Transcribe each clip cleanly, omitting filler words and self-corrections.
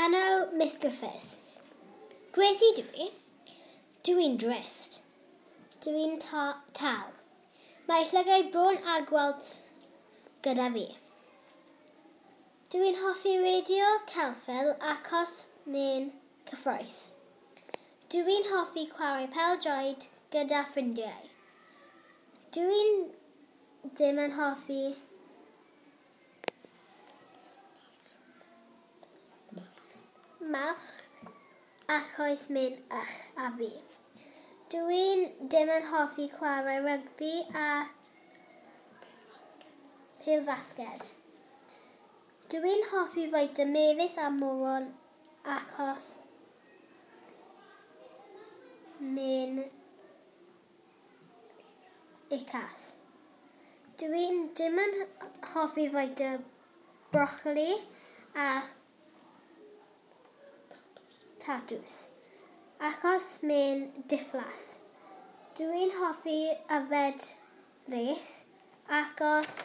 Enw Miss Griffiths. Gracie dwi. Dwi'n drist. Dwi'n ta tal. Mae llygau bron a gweld gyda fi. Dwi'n hoffi radio celfel achos mae'n cyffroes. Dwi'n hoffi chwarae pêl-droed gyda ffrindiau. Dwi'n ddim yn hoffi malch achos mae'n ych a fi. Dwi'n dim yn hoffi chwarae rygbi a pêl-fasged. Dwi'n hoffi fwyta mefus a moron achos mae'n icas. Dwi'n dim yn hoffi fwyta brocoli a tatws achos mae'n diflas. Dwi'n hoffi yfed reith achos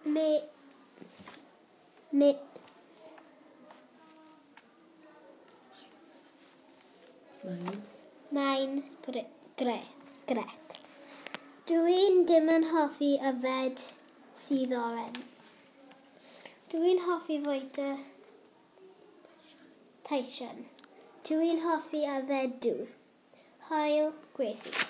me, me, Mae'n. Mae'n gre, gre, gret. Dwi'n dim yn hoffi yfed sydd oren. Dwi'n hoffi fwyta Tyson. Dwi'n hoffi yfed dŵr. Hwyl, Gracie.